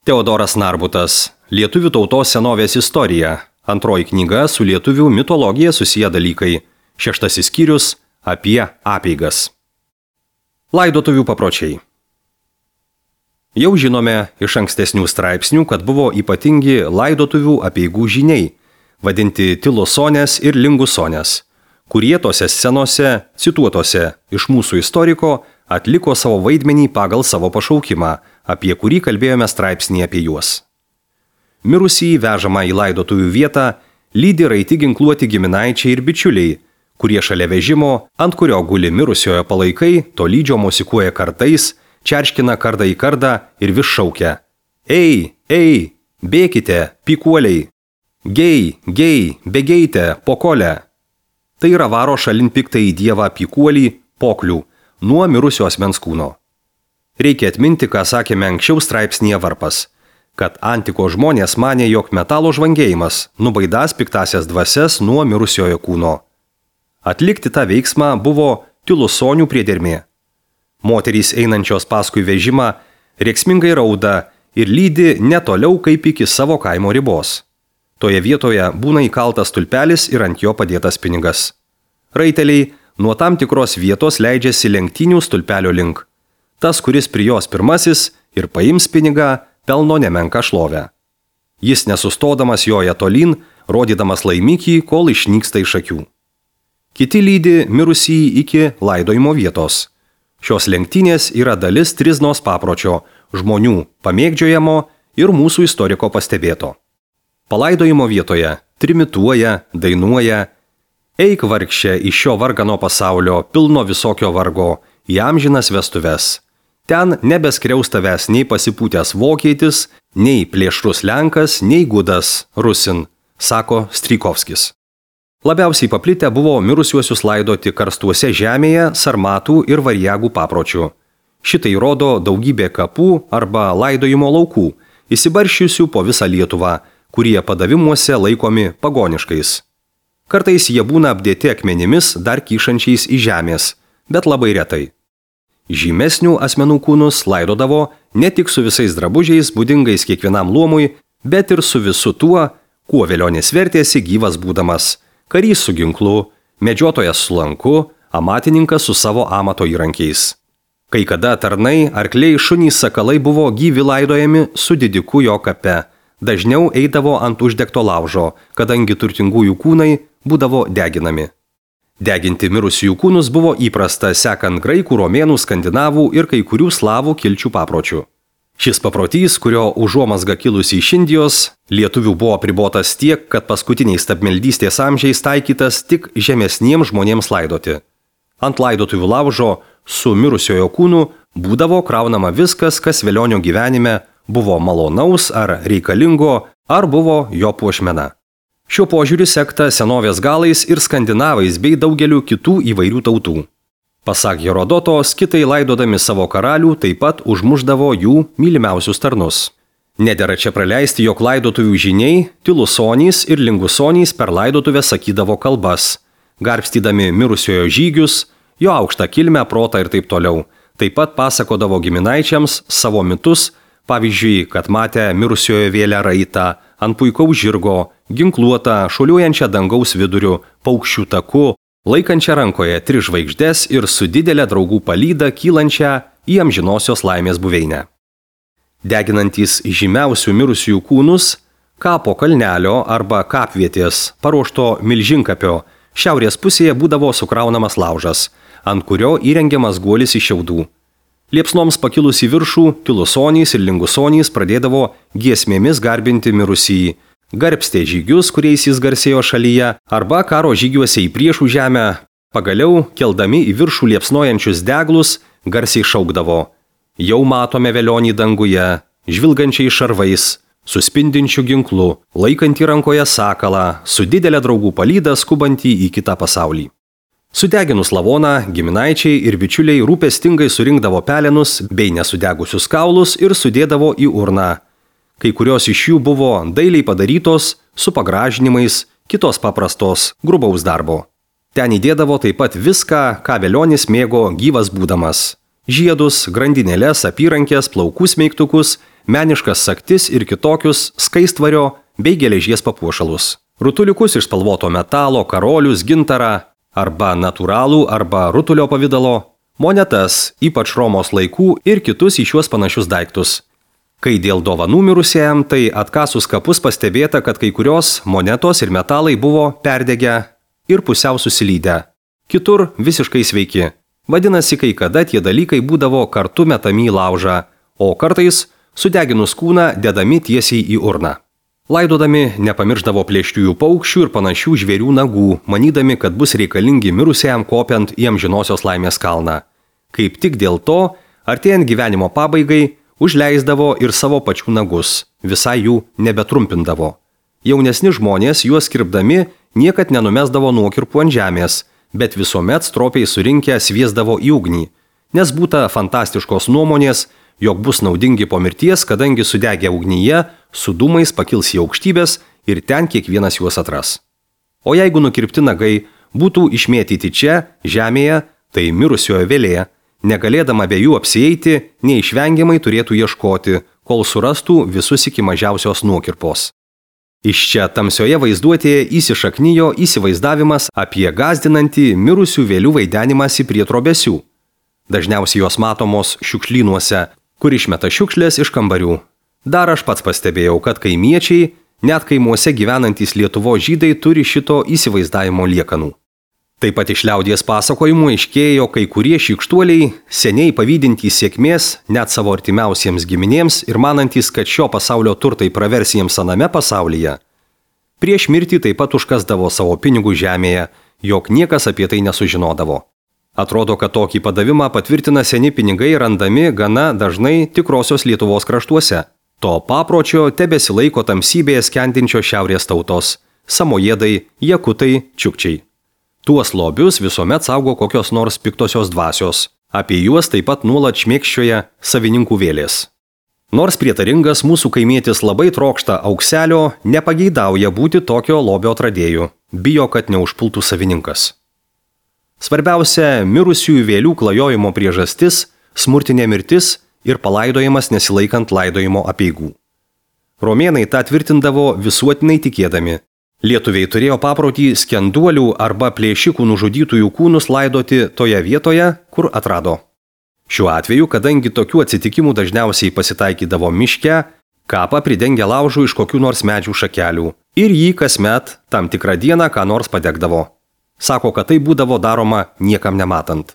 Teodoras Narbutas. Lietuvių tautos senovės istorija. Antroji knyga su lietuvių mitologija susiję dalykai. 6 skyrius apie apeigas. Laidotuvių papročiai. Jau žinome iš ankstesnių straipsnių, kad buvo ypatingi laidotuvių apeigų žyniai, vadinti tilosonės ir lingusonės, kurie tose scenose, cituotose iš mūsų istoriko, atliko savo vaidmenį pagal savo pašaukimą, apie kurį kalbėjome straipsnį apie juos. Mirusįjį vežamą į laidotuvių vietą lydi raiti ginkluoti giminaičiai ir bičiuliai, kurie šalia vežimo, ant kurio guli mirusiojo palaikai, tolydžio mosikuoja kartais, čerškina kardą į kardą ir vis šaukia: Ei, ei, bėkite, pykuoliai! Gei, gei, bėgeite, pokole! Tai yra varo šalin piktąjį dievą pykuolį, poklių, nuo mirusio asmens kūno. Reikia atminti, ką sakėme anksčiau straipsnyje Varpas, kad antiko žmonės manė, jog metalo žvangėjimas nubaidās piktasias dvasias nuo mirusiojo kūno. Atlikti tą veiksmą buvo tilusonių priedermė. Moterys einančios paskui vežimą rėksmingai rauda ir lydi netoliau kaip iki savo kaimo ribos. Toje vietoje būna įkaltas stulpelis ir ant jo padėtas pinigas. Raiteliai nuo tam tikros vietos leidžiasi lenktynių stulpelio link. Tas, kuris prie jos pirmasis ir paims pinigą, pelno nemenką šlovę. Jis nesustodamas joja tolyn, rodydamas laimikį, kol išnyksta iš akių. Kiti lydi mirusįjį iki laidojimo vietos. Šios lenktynės yra dalis triznos papročio, žmonių pamėgdžiojamo ir mūsų istoriko pastebėto. Palaidojimo vietoje trimituoja, dainuoja: Eik vargšė iš šio vargano pasaulio, pilno visokio vargo, į amžinas vestuves. Ten nebeskriaus tavęs nei pasipūtęs vokietis, nei plėšrus lenkas, nei gudas rusin, sako Strykovskis. Labiausiai paplitę buvo mirusiuosius laidoti karstuose žemėje, sarmatų ir variagų papročių. Šitai rodo daugybė kapų arba laidojimo laukų, įsibarščiusių po visą Lietuvą, kurie padavimuose laikomi pagoniškais. Kartais jie būna apdėti akmenimis dar kyšančiais į žemės, bet labai retai. Žymesnių asmenų kūnus laidodavo ne tik su visais drabužiais būdingais kiekvienam luomui, bet ir su visu tuo, kuo velionis vertėsi gyvas būdamas: karys su ginklu, medžiotojas su lanku, amatininkas su savo amato įrankiais. Kai kada tarnai, arkliai, šunys, sakalai buvo gyvi laidojami su didiku jo kape, dažniau eidavo ant uždegto laužo, kadangi turtingųjų kūnai būdavo deginami. Deginti mirusiųjų kūnus buvo įprasta sekant graikų, romėnų, skandinavų ir kai kurių slavų kilčių papročių. Šis paprotys, kurio užuomazga kilusi iš Indijos, lietuvių buvo apribotas tiek, kad paskutiniais stabmeldystės amžiais taikytas tik žemesniems žmonėms laidoti. Ant laidotuvių laužo su mirusiojo kūnu būdavo kraunama viskas, kas velionio gyvenime buvo malonaus ar reikalingo, ar buvo jo puošmena. Šiuo požiūriu sekta senovės galais ir skandinavais bei daugeliu kitų įvairių tautų. Pasak Herodoto, skitai laidodami savo karalių taip pat užmušdavo jų mylimiausius tarnus. Nedera čia praleisti, jog laidotuvių žyniai, tilusonys ir lingusonys per laidotuvę sakydavo kalbas, garbstydami mirusiojo žygius, jo aukštą kilmę, protą ir taip toliau. Taip pat pasakodavo giminaičiams savo mitus, pavyzdžiui, kad matė mirusiojo vėlę raitą, ant puikaus žirgo, ginkluotą, šuoliuojančią dangaus viduriu, paukščių taku, laikančią rankoje 3 žvaigždes ir su didelė draugų palyda kylančią į amžinosios laimės buveinę. Deginantys žymiausių mirusiųjų kūnus, kapo kalnelio arba kapvietės, paruošto milžinkapio, šiaurės pusėje būdavo sukraunamas laužas, ant kurio įrengiamas guolis iš šiaudų. Liepsnoms pakilus į viršų, tilusonys ir lingusonys pradėdavo giesmėmis garbinti mirusįjį, garbstė žygius, kuriais jis garsėjo šalyje, arba karo žygiuose į priešų žemę, pagaliau, keldami į viršų liepsnojančius deglus, garsiai šaukdavo: Jau matome velionį danguje, žvilgančiai šarvais, su spindinčiu ginklu, laikantį rankoje sakalą, su didelė draugų palyda skubantį į kitą pasaulį. Sudeginus lavoną, giminaičiai ir bičiuliai rūpestingai surinkdavo pelenus bei nesudegusius kaulus ir sudėdavo į urną. Kai kurios iš jų buvo dailiai padarytos, su pagražinimais, kitos paprastos, grubaus darbo. Ten įdėdavo taip pat viską, ką velionis mėgo gyvas būdamas. Žiedus, grandinėles, apyrankės, plaukų smeigtukus, meniškas sagtis ir kitokius skaistvario bei geležies papuošalus. Rutuliukus iš spalvoto metalo, karolius, gintarą arba natūralų arba rutulio pavydalo, monetas, ypač Romos laikų ir kitus į šiuos panašius daiktus. Kai dėl dovanų mirusiajam, tai atkasus kapus pastebėta, kad kai kurios monetos ir metalai buvo perdegę ir pusiau susilydę. Kitur visiškai sveiki. Vadinasi, kai kada tie dalykai būdavo kartu metami į laužą, o kartais sudeginus kūną dedami tiesiai į urną. Laidodami nepamirždavo plėšriųjų paukščių ir panašių žvėrių nagų, manydami, kad bus reikalingi mirusiajam kopiant į amžinosios laimės kalną. Kaip tik dėl to, artėjant gyvenimo pabaigai, užleisdavo ir savo pačių nagus, visai jų nebetrumpindavo. Jaunesni žmonės juos kirpdami niekad nenumesdavo nuokirpų ant žemės, bet visuomet stropiai surinkę sviesdavo į ugnį, nes būta fantastiškos nuomonės, jog bus naudingi po mirties, kadangi sudegę ugnyje su dūmais pakils į aukštybės ir ten kiekvienas juos atras. O jeigu nukirpti nagai būtų išmėtyti čia, žemėje, tai mirusiojo vėlė, negalėdama be jų apsieiti, neišvengiamai turėtų ieškoti, kol surastų visus iki mažiausios nuokirpos. Iš čia tamsioje vaizduotėje įsišaknijo įsivaizdavimas apie gąsdinantį mirusių vėlių vaidenimąsi prie trobesių. Dažniausiai jos matomos šiukšlynuose, kur išmeta šiukšlės iš kambarių. Dar aš pats pastebėjau, kad kaimiečiai, net kaimuose gyvenantys Lietuvos žydai turi šito įsivaizdavimo liekanų. Taip pat iš liaudies pasakojimų aiškėjo kai kurie šykštuoliai, seniai pavydintys sėkmės net savo artimiausiems giminėms ir manantys, kad šio pasaulio turtai pravers jiems aname pasaulyje. Prieš mirtį taip pat užkasdavo savo pinigų žemėje, jog niekas apie tai nesužinodavo. Atrodo, kad tokį padavimą patvirtina seni pinigai randami gana dažnai tikrosios Lietuvos kraštuose. To papročio tebesilaiko tamsybėje skendinčio šiaurės tautos – samojedai, jakutai, čiukčiai. Tuos lobius visuomet saugo kokios nors piktosios dvasios. Apie juos taip pat nuolat šmėkščioja savininkų vėlės. Nors prietaringas mūsų kaimietis labai trokšta aukselio, nepageidauja būti tokio lobio atradėjų. Bijo, kad neužpultų savininkas. Svarbiausia mirusiųjų vėlių klajojimo priežastis – smurtinė mirtis ir palaidojimas nesilaikant laidojimo apeigų. Romėnai tą tvirtindavo visuotinai tikėdami. Lietuviai turėjo paprotį skenduolių arba plėšikų nužudytųjų kūnus laidoti toje vietoje, kur atrado. Šiuo atveju, kadangi tokių atsitikimų dažniausiai pasitaikydavo miške, kapą pridengia laužu iš kokių nors medžių šakelių ir jį kasmet tam tikrą dieną ką nors padegdavo. Sako, kad tai būdavo daroma niekam nematant.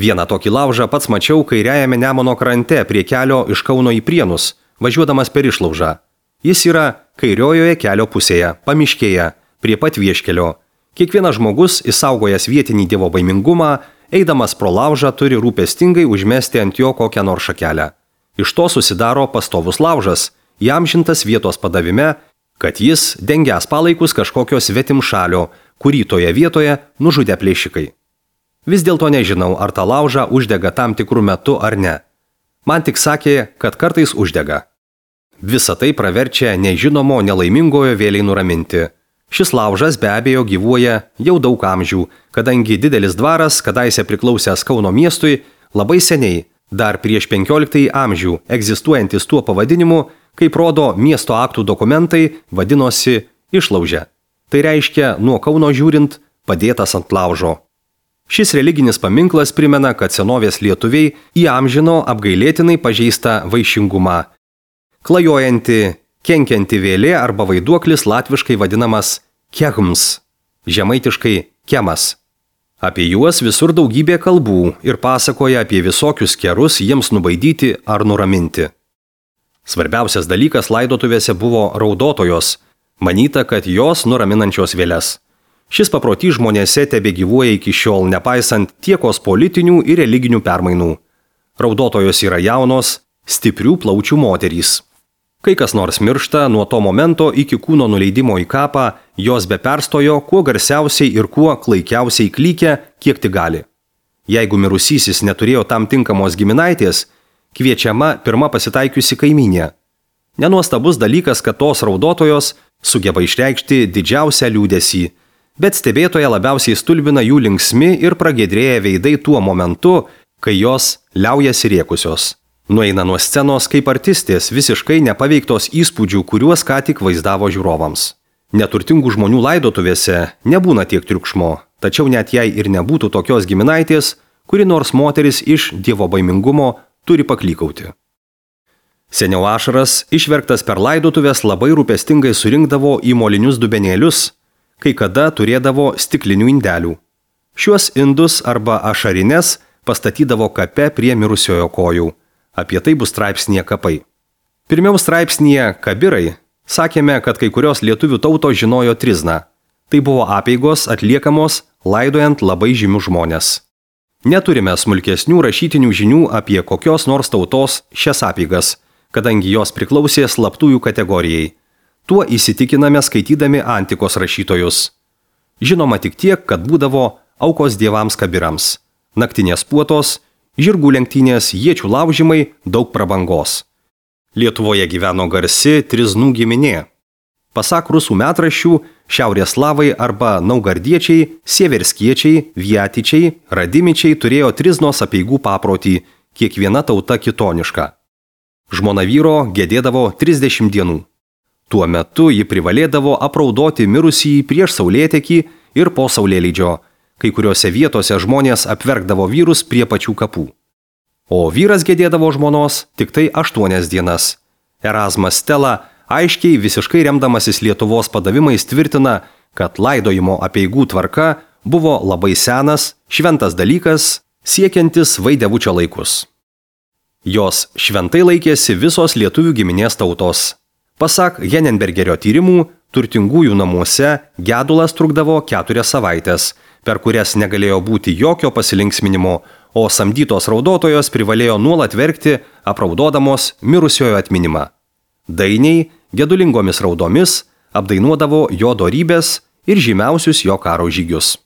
Vieną tokį laužą pats mačiau kairiajame Nemuno krante prie kelio iš Kauno į Prienus, važiuodamas per išlaužą. Jis yra kairiojoje kelio pusėje, pamiškėje, prie pat vieškelio. Kiekvienas žmogus, išsaugojęs vietinį dievobaimingumą, eidamas pro laužą turi rūpestingai užmesti ant jo kokią nors šakelę. Iš to susidaro pastovus laužas, įamžintas vietos padavime, kad jis dengias palaikus kažkokio svetimšalio, kurį toje vietoje nužudė plėšikai. Vis dėlto nežinau, ar tą laužą uždega tam tikrų metu ar ne. Man tik sakė, kad kartais uždega. Visa tai praverčia nežinomo nelaimingojo vėliai nuraminti. Šis laužas be abejo gyvuoja jau daug amžių, kadangi didelis dvaras, kadaise priklausęs Kauno miestui, labai seniai, dar prieš 15 amžių, egzistuojantis tuo pavadinimu, kaip rodo miesto aktų dokumentai, vadinosi išlaužė. Tai reiškia, nuo Kauno žiūrint, padėtas ant laužo. Šis religinis paminklas primena, kad senovės lietuviai įamžino apgailėtinai pažeistą vaišingumą. Klajojanti, kenkianti vėlė arba vaiduoklis latviškai vadinamas kehms, žemaitiškai kemas. Apie juos visur daugybė kalbų ir pasakoja apie visokius kerus jiems nubaidyti ar nuraminti. Svarbiausias dalykas laidotuvėse buvo raudotojos, manyta, kad jos nuraminančios vėles. Šis paprotys žmonėse tebegyvuoja iki šiol, nepaisant tiekos politinių ir religinių permainų. Raudotojos yra jaunos, stiprių plaučių moterys. Kai kas nors miršta, nuo to momento iki kūno nuleidimo į kapą, jos be perstojo, kuo garsiausiai ir kuo klaikiausiai klykia, kiek tik gali. Jeigu mirusysis neturėjo tam tinkamos giminaitės, kviečiama pirma pasitaikiusi kaimynė. Nenuostabus dalykas, kad tos raudotojos sugeba išreikšti didžiausią liūdesį, bet stebėtoje labiausiai stulbina jų linksmi ir pragiedrėję veidai tuo momentu, kai jos liaujasi rėkusios. Nueina nuo scenos kaip artistės, visiškai nepaveiktos įspūdžių, kuriuos ką tik vaizdavo žiūrovams. Neturtingų žmonių laidotuvėse nebūna tiek triukšmo, tačiau net jei ir nebūtų tokios giminaitės, kuri nors moteris iš dievobaimingumo turi paklykauti. Seniau ašaras, išverktas per laidotuvės, labai rūpestingai surinkdavo į molinius dubenėlius, kai kada turėdavo stiklinių indelių. Šiuos indus arba ašarines pastatydavo kape prie mirusiojo kojų. Apie tai bus straipsnyje Kapai. Pirmiau straipsnyje Kabirai sakėme, kad kai kurios lietuvių tautos žinojo trizną. Tai buvo apeigos atliekamos laidojant labai žymius žmones. Neturime smulkesnių rašytinių žinių apie kokios nors tautos šias apeigas, kadangi jos priklausė slaptųjų kategorijai. Tuo įsitikiname skaitydami antikos rašytojus. Žinoma tik tiek, kad būdavo aukos dievams kabirams, naktinės puotos, žirgų lenktynės, iečių laužimai, daug prabangos. Lietuvoje gyveno garsi triznų giminė. Pasak rusų metraščių, šiaurės slavai arba naugardiečiai, sieverskiečiai, viatičiai, radimičiai turėjo triznos apeigų paprotį, kiekviena tauta kitoniška. Žmona vyro gedėdavo 30 dienų. Tuo metu ji privalėdavo apraudoti mirusįjį prieš saulėtekį ir po saulėlydžio. Kai kuriuose vietose žmonės apverkdavo vyrus prie pačių kapų. O vyras gedėdavo žmonos tik tai 8 dienas. Erasmas Stela aiškiai visiškai remdamasis Lietuvos padavimais tvirtina, kad laidojimo apeigų tvarka buvo labai senas, šventas dalykas, siekiantis Vaidevučio laikus. Jos šventai laikėsi visos lietuvių giminės tautos. Pasak Henenbergerio tyrimų, turtingųjų namuose gedulas trukdavo 4 savaites, per kurias negalėjo būti jokio pasilinksminimo, o samdytos raudotojos privalėjo nuolat verkti, apraudodamos mirusiojo atminimą. Dainiai gedulingomis raudomis apdainuodavo jo dorybės ir žymiausius jo karo žygius.